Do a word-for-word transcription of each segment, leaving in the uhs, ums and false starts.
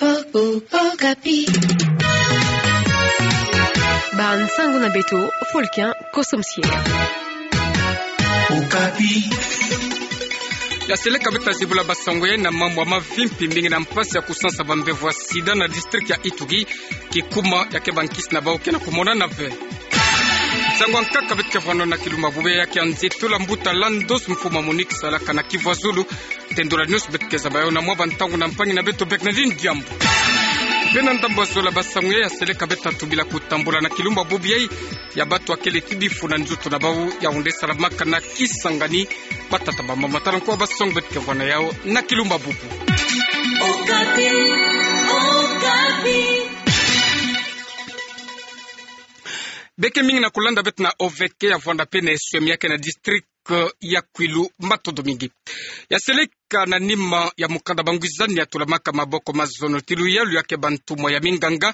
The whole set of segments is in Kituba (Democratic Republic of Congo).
O, o, Okapi. Bansango na beto, Folkin Kosomsie. Okapi. Ya seleka beto ta zibula basango yai na mambu ya mavimpi mingi na mpasi ya kusansa bambevo ya sida na district ya Ituri, kikuma ya ke bankisi na bau ke na kumonana ve. Nsangu ya nkaka beto ke vwanda nao na kilumbu bubu ya ke nzitula mbuta Landos, mfumu ya MONUC salaka na Kivu ya Zulu. Tendula news beto ke zaba yau na mwa bantangu na mpangi na beto Bernardine Diambu. Mpe na ndambu ya zola basango yai, ya seleka beto ta tubila kutambula na kilumbu bubu yai ya bato ya kele ti bifu na nzoto na bau, ya onde salamaka na Kisangani, batata ba mama. Tala nkoa basango beto ke vwanda nao yau na kilumbu bubu. Okapi, Okapi. Beke mingi na kulanda beto na O V K ya vwanda mpe na eswemi ya ke na district ya Kwilu matondo mingi. Ya seleka na nima ya mukanda Bangwizani ya tulamaka maboko mazono ti luyalu ya ke bantumwa ya minganga,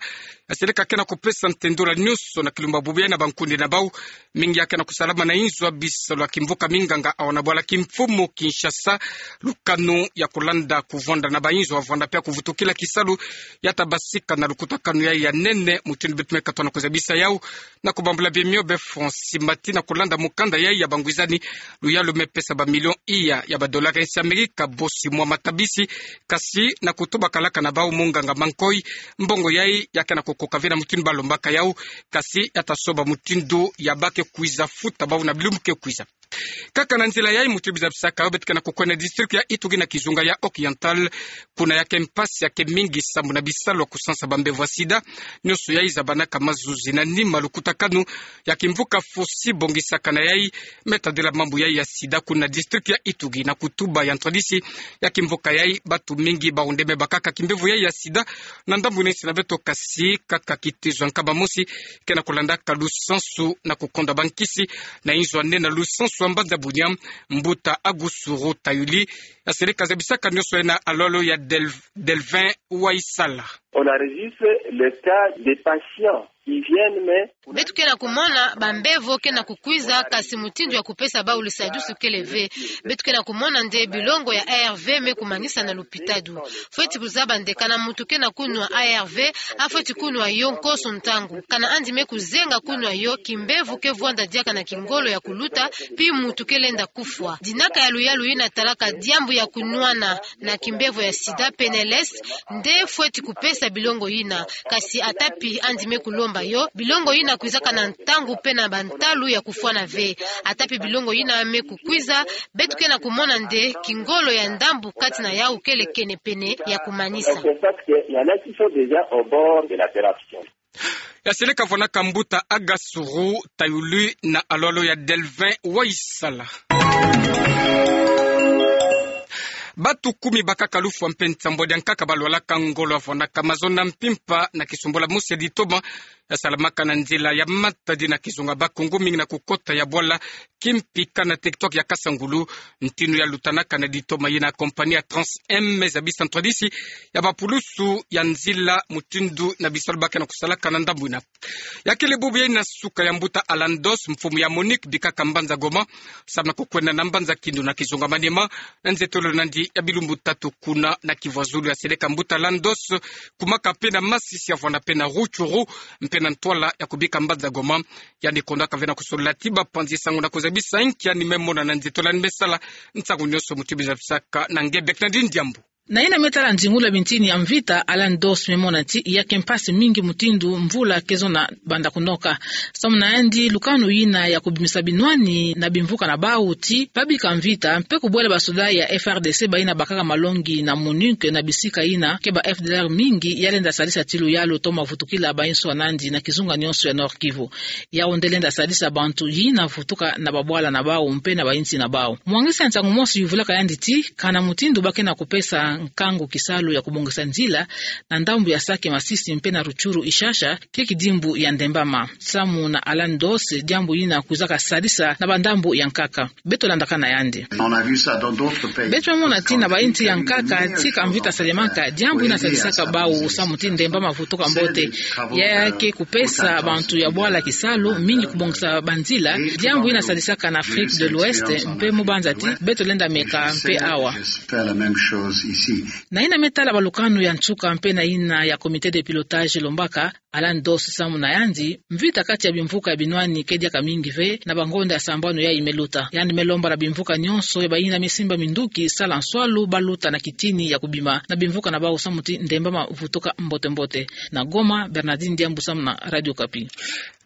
ya seleka ke na kupesa ntendula nyonso na kilumbu bubu yai na bankundi na bau, mingi ya ke na kusalama na inzo ya bisalu ya kimvuka minganga awa na bwala kimfumu Kinshasa, lukanu ya kulanda kuvwanda na bainzo ya vwanda mpe ya kuvutukila kisalu, ya ta basika na lukutakanu yai ya nene, mutindu beto me katwa na kuzabisa yau, na kubambula bima mio be Francis Mati na kulanda mukanda yai ya Bangwizani, luyalu me pesa ba million iya ya ba dollars ya nsi Amerika bosi mwa matabisi, kasi na kutuba kalaka na bau munganga Mankoi, mbongo yai ya ke na kukoka ve na mutindu ba lombaka yau, kasi ya ta soba mutindu ya ba ke kwiza futa bau na bilumbu ke kwiza. Kaka na nzila yai, mutindu bizabisaka yau, beto ke na kukwenda district ya Ituri na kizunga ya Oriental, kuna ya ke mpasi ya ke mingi sambu na bisalu ya kusansa bambevo ya sida, nyonso yai zabanaka mazuzi na nima lukutakanu ya kimvuka fosi bongisaka na yai, me tadila mambu yai ya sida kuna district ya Ituri, na kutuba ya ntwadisi ya kimvuka yai, bato mingi ba onde me bakaka kimbevo yai ya sida na ndambu na nsi na beto, kasi kaka kitezo ya nkama mosi ke na kulandaka lusansu na kukonda bankisi na inzo ya nene na lusansu ya mbanza Bunia, mbuta Agusuru Tayuli, ya seleka zabisaka nyonso yai na alolo ya Del-, Delvin Waisala. On enregistre le cas des patients qui viennent, mais beto ke na kumona bambevo ke na kukwiza, kasi mutindu ya kupesa bau lisadusu kele ve. Beto ke na kumona nde bilongo ya A R V me kumanisa na lupitadu. Fweti kuzaba nde kana muntu ke na kunwa A R V, afweti kunwa yo nkoso ntangu. Kana andi me kuzenga kunwa yo, kimbevo ke vwanda diaka na kingolo ya kuluta, pi muntu ke lenda kufwa. Dinaka ya luyalu yina talaka diambu ya kunwana na kimbevo ya sida, P N L S, nde fweti kupesa bilongo yina. Kasi ata pi andi me kulomba yo, bilongo yina kwizaka na ntangu mpe na bantalu ya kufwana ve. Ata pi bilongo yina me kukwiza, beto ke na kumona nde kingolo ya ndambu kati na yau kele kenepene ya kumanisa. Donc, c'est ça que il y en a qui sont déjà au bord de la corruption. Ya seleka vwanaka mbuta Agasuru Tayulu na alolo ya Delvin Waisala. Bato kumi bakaka lufwa mpe nsambwadi ya nkaka balwalaka ngolo ya vwanaka mazono na mpimpa na kisumbula mosi ya ditoma ya salamaka na nzila ya Matadi na kizunga Bas-Congo, mingi na kukota ya bwala Kimpika na territoire ya Kasangulu, ntinu ya lutanaka na ditoma yina compagnie ya Trans M me zabisa ntwadisi ya bapulusu ya nzila, mutindu na bisalu ba ke na kusalaka na ndambu yina. Ya kele bubu yai na suka ya mbuta Alandos, mfumu ya MONUC, bikaka mbanza Goma, samu na kukwenda na mbanza Kindu na kizunga Maniema, na nzietolo nandi ya bilumbu tatu kuna na Kivu ya Zulu. Ya seleka mbuta Alandos kumaka mpe na masisi ya vwanda mpe na Rutshuru, mpe na ntwala ya kubika mbanza Goma. Yandi kondaka ve na kusolola ti bapanzi sango na kuzabisa inki yandi me mona na nzietolo yandi me sala. Nsangu nyonso mutindu bizabisaka na nge Bernardine Diambu. Na yina me tala nzingula bintini ya mvita, Alandos me mona ti ya ke mpasi mingi mutindu mvula ke zona banda kunoka. Samu na yandi, lukanu yina ya kubimisa binwani na bimvuka na bau ti babika mvita mpe kubwela basoda ya F R D C bayina bakaka malongi na MONUC na bisika yina ke ba F D L R mingi, ya lenda sadisa ti luyalu toma vutukila bainso ya nandi na kizunga nyonso ya Nord-Kivu. Yau nde lenda sadisa bantu yina vutuka na babwala na bau mpe na bayinsi na bau. Mwangisi ya nsangu mosi yuvulaka yandi ti kana mutindu ba ke na kupesa nkangu kisalu ya kubongisa nzila na ndambu ya Sake Masisi mpe na Rutshuru Ishasha ke kidimbu ya ndembama. Samu na Alandos, diambu yina kwizaka sadisa na bandambu ya nkaka. Beto landaka na yandi. On a vu ça dans d'autres pays. Beto mona ti na bayinsi ya nkaka, tika mvita salemaka, diambu yina sadisaka bau samu ti ndembama vutuka mbote. Ya ke kupesa bantu ya bwala kisalu mingi kubongisa banzila, diambu yina sadisaka na Afrique de l'Ouest, mpe mu banza ti beto lenda meka mpe awa. te. Na yina me tala balukanu ya nsuka mpe na yina ya comité de pilotage lombaka, Alan Dos samu na yandi, mvita kati ya bimvuka ya binwani ke diaka mingi ve, na bangonda ya sambanu yayi me luta. Yandi me lomba na bimvuka nyonso ya bayina me simba minduki sala nswalu ba luta na kitini ya kubima na bimvuka na bau samu ti ndemba ma vutuka mbote-mbote. Na Goma, Bernardine Diambu samu na Radio Okapi.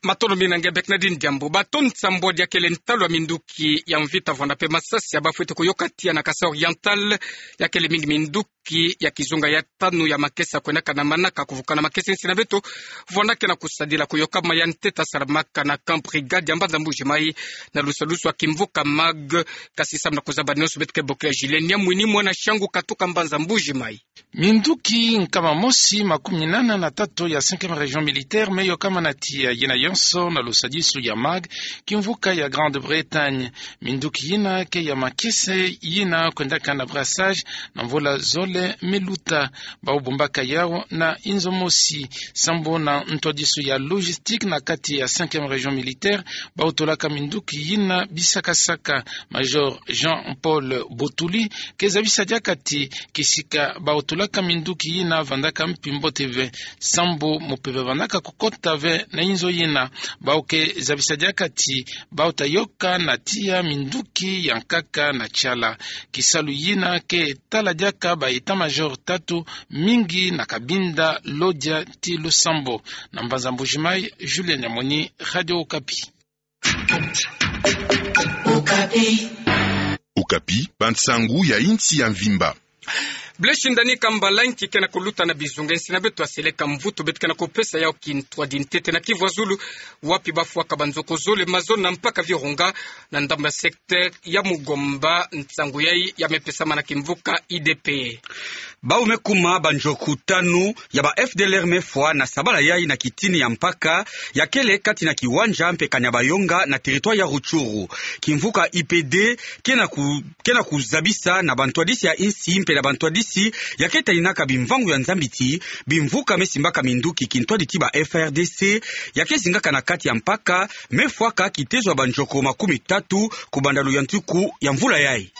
Matondo mingi na nge Bernardine Diambu. Bato nsambwadi ya kele ntalu ya minduki ya mvita vwanda mpe masasi ya bafwete kuyoka tiya na Kasaï Oriental, ya kele mingi minduki ya kizunga ya tanu ya makesa kwendaka na manaka kuvukana makesa. Insi na beto vwandaka na kusadila kuyoka ma ya ntete salamaka na camp Brigade ya mbanza Mbuji Mayi, na lusadusu ya kimvuka Mag. Kasi samu na kuzaba nyonso, beto ke bokila Julien Niamwini, mwana Shangu, katuka mbanza Mbuji Mayi. Minduki nkama mosi makumi nana na tatu ya cinquième région militaire me yokama na tiya yina yonso na lusadisu ya Mag, kimvuka ya Grande-Bretagne. Minduki yina ke ya makesa yina kwendaka na brassage na mvula zole me luta. Bau bombaka yau na inzo mosi sambu na ntwadisu ya logistique na kati ya cinquième région militaire, bau tolaka minduki yina bisaka-saka. Major Jean-Paul Botuli ke zabisa diaka ti kisika bau tolaka minduki yina vandaka mpi mbote ve, sambu mupepe vandaka kukota ve na inzo yina. Bau ke zabisa diaka ti bau ta yoka na tiya minduki ya nkaka na tiala. Kisalu yina ke tala diaka ba état-major tatu, mingi na Cabinda, Lodja ti Lusambo. Na mbanza Mbuji Mayi, Julien Niamwini, Radio Okapi. Okapi, bansangu ya insi ya mvimba. Blaise Ndani Kambala nki ke na kuluta na bizunga, insi na beto ya seleka mvutu, beto ke na kupesa yau kintwadi ntete na Kivu ya Zulu, wapi bafwaka banzoko zole, mazono na mpaka Virunga, na ndambu ya secteur ya Mugomba. Nsangu yayi ya me pesama na kimvuka I D P. Bau me kuma banzoku tanu ya ba F D L R me fwa na sabala yayi na kitini ya mpaka ya kele kati na Kiwanja mpe Kanyabayonga na territoire ya Rutshuru. Kimvuka I P D ke na ku-, ke na kuzabisa na bantwadisi ya insi mpe na bantwadisi ya ke taninaka bimvangu ya Nzambi ti bimvuka me simbaka minduki kintwadi ti ba F A R D C ya ke zingaka na kati ya mpaka me fwaka kitezo ya banzoku makumi tatu kubanda luyantiku ya mvula yayi.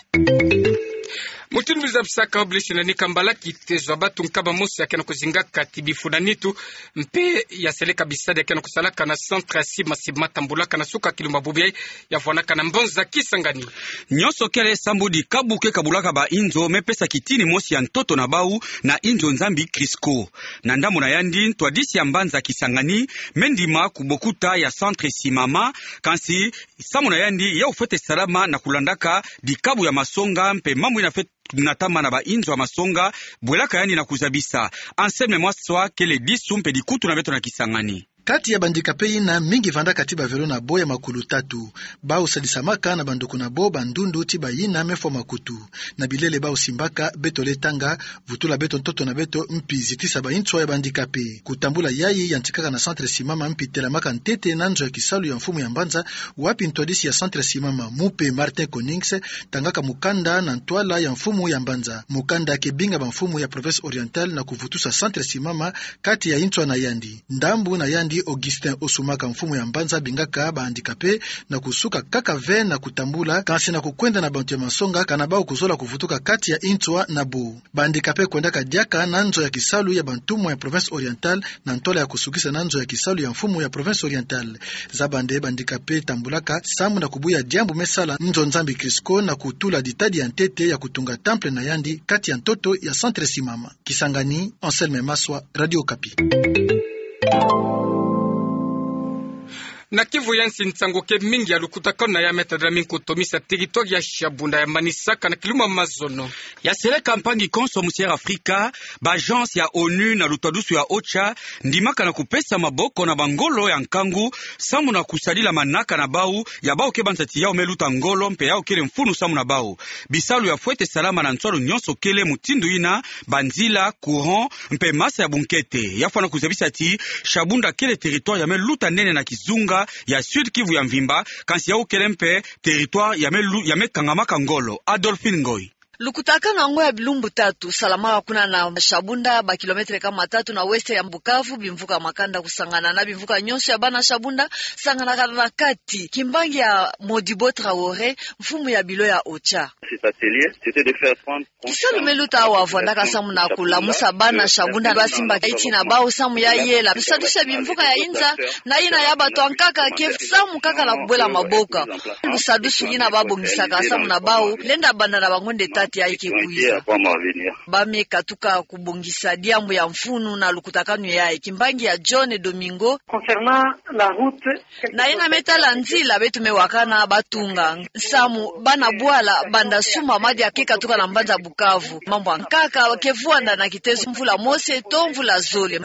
Mutindu zabisaka Blaise Ndani Kambala, kitezo ya batu nkama mosi ya ke na kuzingaka ti bifu na nitu mpe ya seleka bisadi ya ke na kusalaka na centre ya sima sima tambulaka na suka kilumba bubu yayi, ya fwanaka na mbanza Kisangani. Nyonso kele sambu dikabu ke kabulaka ba inzo me pesa kitini mosi ya ntoto na bau na inzo Nzambi Crisco. Na ndambu na yandi, ntwadisi ya mbanza Kisangani me ndima kubokuta ya centre simama, kansi samu na yandi, yau fwete salama na kulandaka dikabu ya masonga mpe mambu yina fwete natama na ba inzo ya masonga, bwelaka yandi na kuzabisa. Anselme Maswa kele disu mpe dikutu na beto na Kisangani. Kati ya ba handicapés yina, mingi vandaka ti ba vélo na bo ya makulu tatu. Bau sadisamaka na banduku na bo bandundu ti bayina me fwa makutu. Na bilele bau simbaka, beto le tanga, vutula beto ntoto na beto, mpi zitisa ba intswa ya ba handicapés. Kutambula yayi yantikaka na centre simama mpi telamaka ntete na nzo ya kisalu ya mfumu ya mbanza, wapi ntwadisi ya centre simama, mupe Martin Konings, tangaka mukanda na ntwala ya mfumu ya mbanza. Mukanda ke binga ba mfumu ya Province Orientale na kuvutusa centre simama kati ya intswa na yandi. Ndambu na yandi, Augustin Osumaka, mfumu ya mbanza, bingaka ba handicapés na kusuka kaka ve na kutambula, kansi na kukwenda na bantu ya masonga, kana bau kuzola kuvutuka kati ya intswa na bo. Ba handicapés kwendaka diaka na nzo ya kisalu ya bantumwa ya Province Orientale, na ntwala ya kusukisa na nzo ya kisalu ya mfumu ya Province Orientale. Zaba nde ba handicapés tambulaka, samu na kubuya diambu me sala nzo Nzambi Crisco na kutula ditadi ya ntete ya kutunga temple na yandi kati ya ntoto ya centre simama. Kisangani, Anselme Maswa, Radio Okapi. Na Kivu ya nsi, nsangu ke mingi ya lukutakanu na ya me tadila mingi kutomisa territoire ya Shabunda ya manisaka na kilumbu ya mazono. Ya seleka mpangi konso mu Sierra Afrika, ba agence ya onu na lutwadusu ya OCHA ndimaka na kupesa maboko na bangolo ya nkangu, samu na kusadila manaka na bau, ya bau ke banza ti yau me luta ngolo, mpe yau kele mfunu samu na bau. Bisalu ya fwete salama na nswalu nyonso kele mutindu yina, banzila, courant, mpe masa ya bunkete. Ya fwana kuzabisa ti Shabunda kele territoire ya me luta nene na kizunga ya Sud-Kivu ya mvimba, kansi yau kele mpe territoire ya me lu-, ya me kangamaka ngolo. Adolphine Ngoy. Lukutakanu yango ya bilumbu tatu salamaka kuna na Shabunda, ba kilomètre kama tatu na ouest ya Bukavu. Bimvuka makanda kusangana na bimvuka nyonso ya bana Shabunda, sanganaka na kati kimbangi ya Modibo Traoré, mfumu ya bilo ya OCHA. Kisalu me luta awa vwandaka samu na kulamusa bana Shabunda basimbaka eti na bau samu ya yela lusadusu ya bimvuka ya inza, na yina ya bato ya nkaka ke samu kaka na kubwela maboko. Lusadusu yina babongisaka samu na bau lenda banda na bangonde tati yayi ke kwiza. Ba me katuka kubongisa diambu ya mfunu na lukutakanu yayi, kimbangi ya John Domingo. Concernant la route, na yina me tala nzila beto me wakana batunga, samu bana bwala banda sumba madia ke katuka na mbanza Bukavu. Mambu ya nkaka ke vwanda na kitezo mvula mose to mvula zole.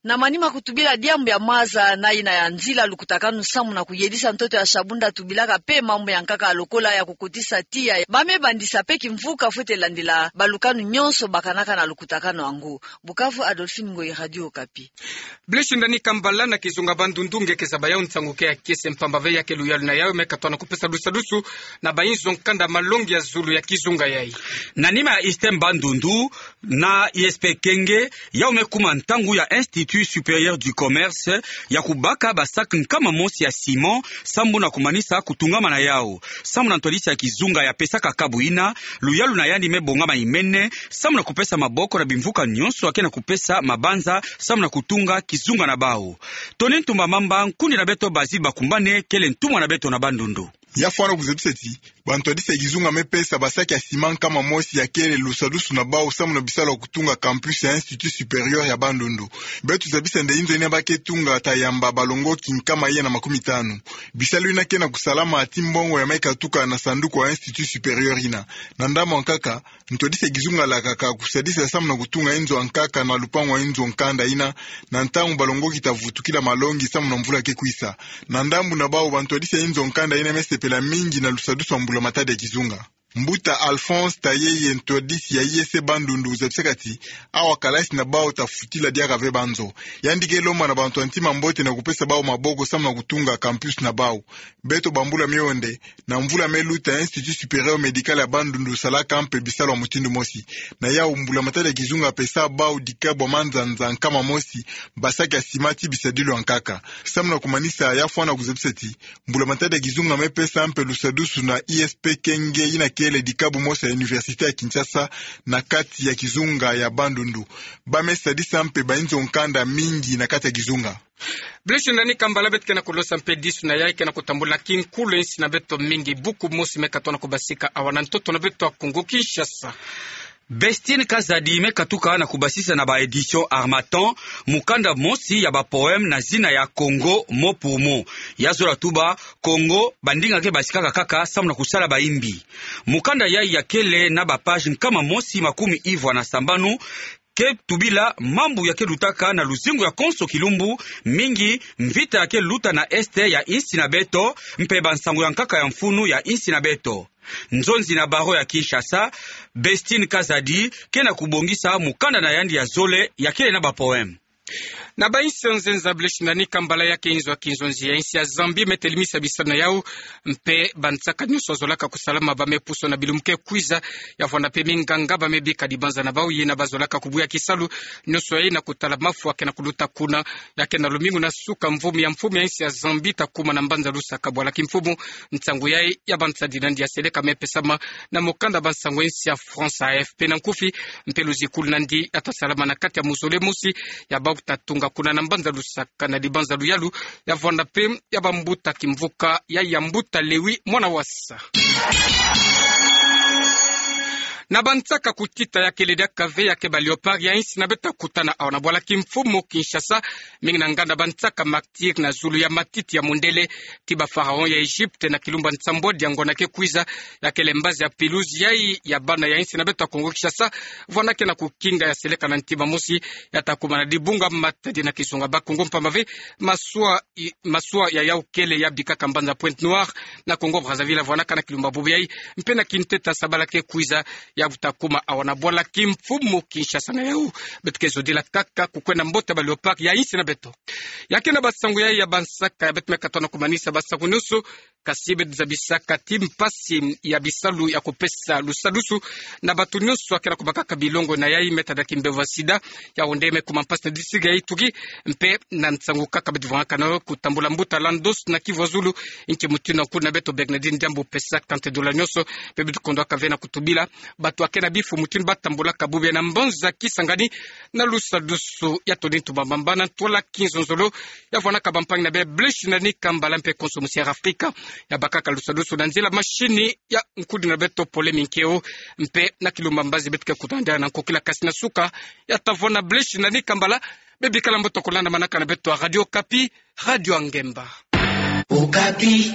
Na manima kutubila diambu ya maza na yina ya nzila, lukutakanu samu na kuyedisa ntoto ya Shabunda tubilaka mpe mambu ya nkaka lokola ya kukotisa tiya. Ba me bandisa mpe kimvuka fwete landila balukanu nyonso bakanaka na lukutakanu yango. Bukavu, Adolphine Ngoyi, Radio Okapi. Blaise Ndani Kambala, na kizunga Bandundu nge ke zaba yawu nsangu ke ya kiese, mpamba ve ya ke luyalu na yawu me katuka na kupesa lusadusu na bayinzo nkanda malongi ya zulu ya kizunga yayi. Na nima ya ISTEM Bandundu na ISP Kenge, yawu me kuma ntangu ya Institut Supérieur du Commerce ya kubaka ba sac nkama mosi ya ciment, samu na kumanisa kutungama na yawu. Samu na ntwadisi ya kizunga ya pesaka kabu yina, luyalu na yandi me bongama imene, samu na kupesa maboko na bimvuka nyonso ya ke na kupesa mabanza samu na kutunga kizunga na bau. Tony Ntumba Mamba, nkundi na beto Basil Bakumbane, kele ntumwa na beto na Bandundu. Ya fwana kuzebisa ti bantwadisi ya kizunga me pesa ba sac ya ciment nkama mosi ya kele lusadusu na bau samu na bisalu ya kutunga campus ya Institut Supérieur ya Bandundu. Beto zabisa nde inzo yina ba ke tunga ta yamba balongoki nkama yina na makumi tanu. Bisalu yina ke na kusalama ti mbongo ya me katuka na sanduku ya Institut Supérieur yina. Na ndambu ya nkaka, ntwadisi ya kizunga lakaka kusadisa samu na kutunga inzo ya nkaka na lupangu ya inzo nkanda yina, na ntangu balongoki ta vutukila malongi samu na mvula ke kwisa. Na ndambu na bau, bantwadisi ya inzo nkanda yina me sepela mingi na lusadusu ya mbula matadi ya kizunga. Mbuta Alphonse Tayeye, ntwadisi ya ISP Bandundu, zabisaka ti awa kalasi na bau ta futila diaka ve banzo. Yandi ke lomba na bantu ya ntima mbote na kupesa bau maboko samu na kutunga campus na bau. Beto bambula mio nde, na mvula me luta, Institut Supérieur Médical ya Bandundu salaka mpe bisalu ya mutindu mosi. Na yawu, mbula matadi ya kizunga pesa bau dikabu ya manzanza nkama mosi, ba sac ya ciment ti bisadilu ya nkaka. Samu na kumanisa, ya fwana kuzebisa ti mbula matadi ya kizunga me pesa mpe lusadusu na ISP Kenge yina kele dikabu mosi ya Université ya Kinshasa na kati ya kizunga ya Bandundu. Ba me sadisa mpe bayinzo nkanda mingi na kati ya kizunga. Blaise Ndani Kambala, beto ke na kulosa mpe disu na yayi ke na kutambula kinkulu ya insi na beto mingi. Buku mosi me katuka na kubasika awa na ntoto na beto ya Kongo Kinshasa. Bestine Kazadi me katuka na kubasisa na ba éditions Harmattan mukanda mosi ya ba poèmes na zina ya Congo mot pour mot. Ya zola tuba, Congo, bandinga ke basikaka kaka samu na kusala bayimbi. Mukanda yayi ya kele na ba pages nkama mosi makumi ivwa na sambanu, ke tubila mambu ya ke lutaka na luzingu ya konso kilumbu, mingi mvita ya ke luta na Est ya insi na beto, mpe bansangu ya nkaka ya mfunu ya insi na beto. Nzonzi na barreau ya Kinshasa, Bestine Kazadi ke na kubongisa mukanda na yandi ya zole ya kele na ba poèmes. Na ba insi ya nzenza, Blaise Ndani Kambala, ya ke inzo ya kinzonzi ya insi ya Zambie me telemisa bisalu na yawu, mpe bansaka nyonso zolaka kusalama ba me pusa na bilumbu ke kwiza. Ya vwanda mpe minganga ba me bika dibanza na bau, yina ba zolaka kubuya kisalu nyonso yayi na kutala mafu ya ke na kuluta kuna. Ya ke na lumingu na suka mvumi ya mfumu ya insi ya Zambie ta kuma na mbanza Lusaka bwala kimfumu. Nsangu yayi ya bansadi na yandi ya seleka me pesama na mukanda bansangu ya insi ya France, A F P na nkufi. Mpe luzikulu na yandi ya ta salama na kati ya muzole mosi ya bau ta tunga kuna na mbanza Lusaka na dibanza luyalu, ya vwanda mpe ya bambuta kimvuka ya ya mbuta Lewi Mwana Wasa. Na bansaka kutita, ya kele diaka ve ya ke ba Léopards ya insi na beto ta kutana awa na bwala kimfumu Kinshasa, mingi na nganda bansaka martyrs na zulu ya matiti ya mundele ti ba pharaons ya Egypte na kilumbu ya nsambwadi ya ngwana ke kwiza. Ya kele mbazi ya pelouse yayi ya bana ya insi na beto ya Kongo Kinshasa, vwanda ke na kukinga ya seleka na ntima mosi ya ta kuma na dibunga matadi na kizunga Bakongo, mpamba ve maswa i-, maswa ya yawu kele ya bikaka mbanza Pointe-Noire na Congo-Brazzaville, ya vwandaka na kilumbu ya bubu yayi, mpe na kinteta sabala ke kwiza, ya vuta kuma awa na bwala kimfumu Kinshasa. Na yau beto ke zodila kaka kukwenda mbote ba Léopards ya insi na beto. Ya kena basangu yai ya bansaka ya beto me katono kumanisa basangu nyonso, kasi beto zabisaka ti mpasi ya bisalu ya kupesa lusadusu na bato nyonso akena kubakaka bilongo na yai me tada kimbevo ya sida. Yau nde me kuma mpasi na district ya Ituri, mpe na nsangu kaka beto vwangaka na yo kutambula mbuta Landos na Kivu ya Zulu, nki mutindu nkuwu na beto Bernardine Diambu pesaka nte dola nyonso, mpe beto kondwaka ve na kutubila bato akena bifu mutindu batambulaka bubu ya na mbanza Kisangani na lusadusu ya toni ntu bambamba na ntwala kinzonzolo ya vwanaka bampangi na bê Blaise Nani Kambala mpe konso musi Air Africa. Ya bakaka lusadusu na nzila mashini ya nkudi na beto Pole Minkeo, mpe na kilumba mbazi beto ke kutanda na nkokila kasi na suka ya ta vwana Blaise Nani Kambala. Bebikala mbote kulandamanaka na beto Radio Okapi, radio ya ngemba. Okapi.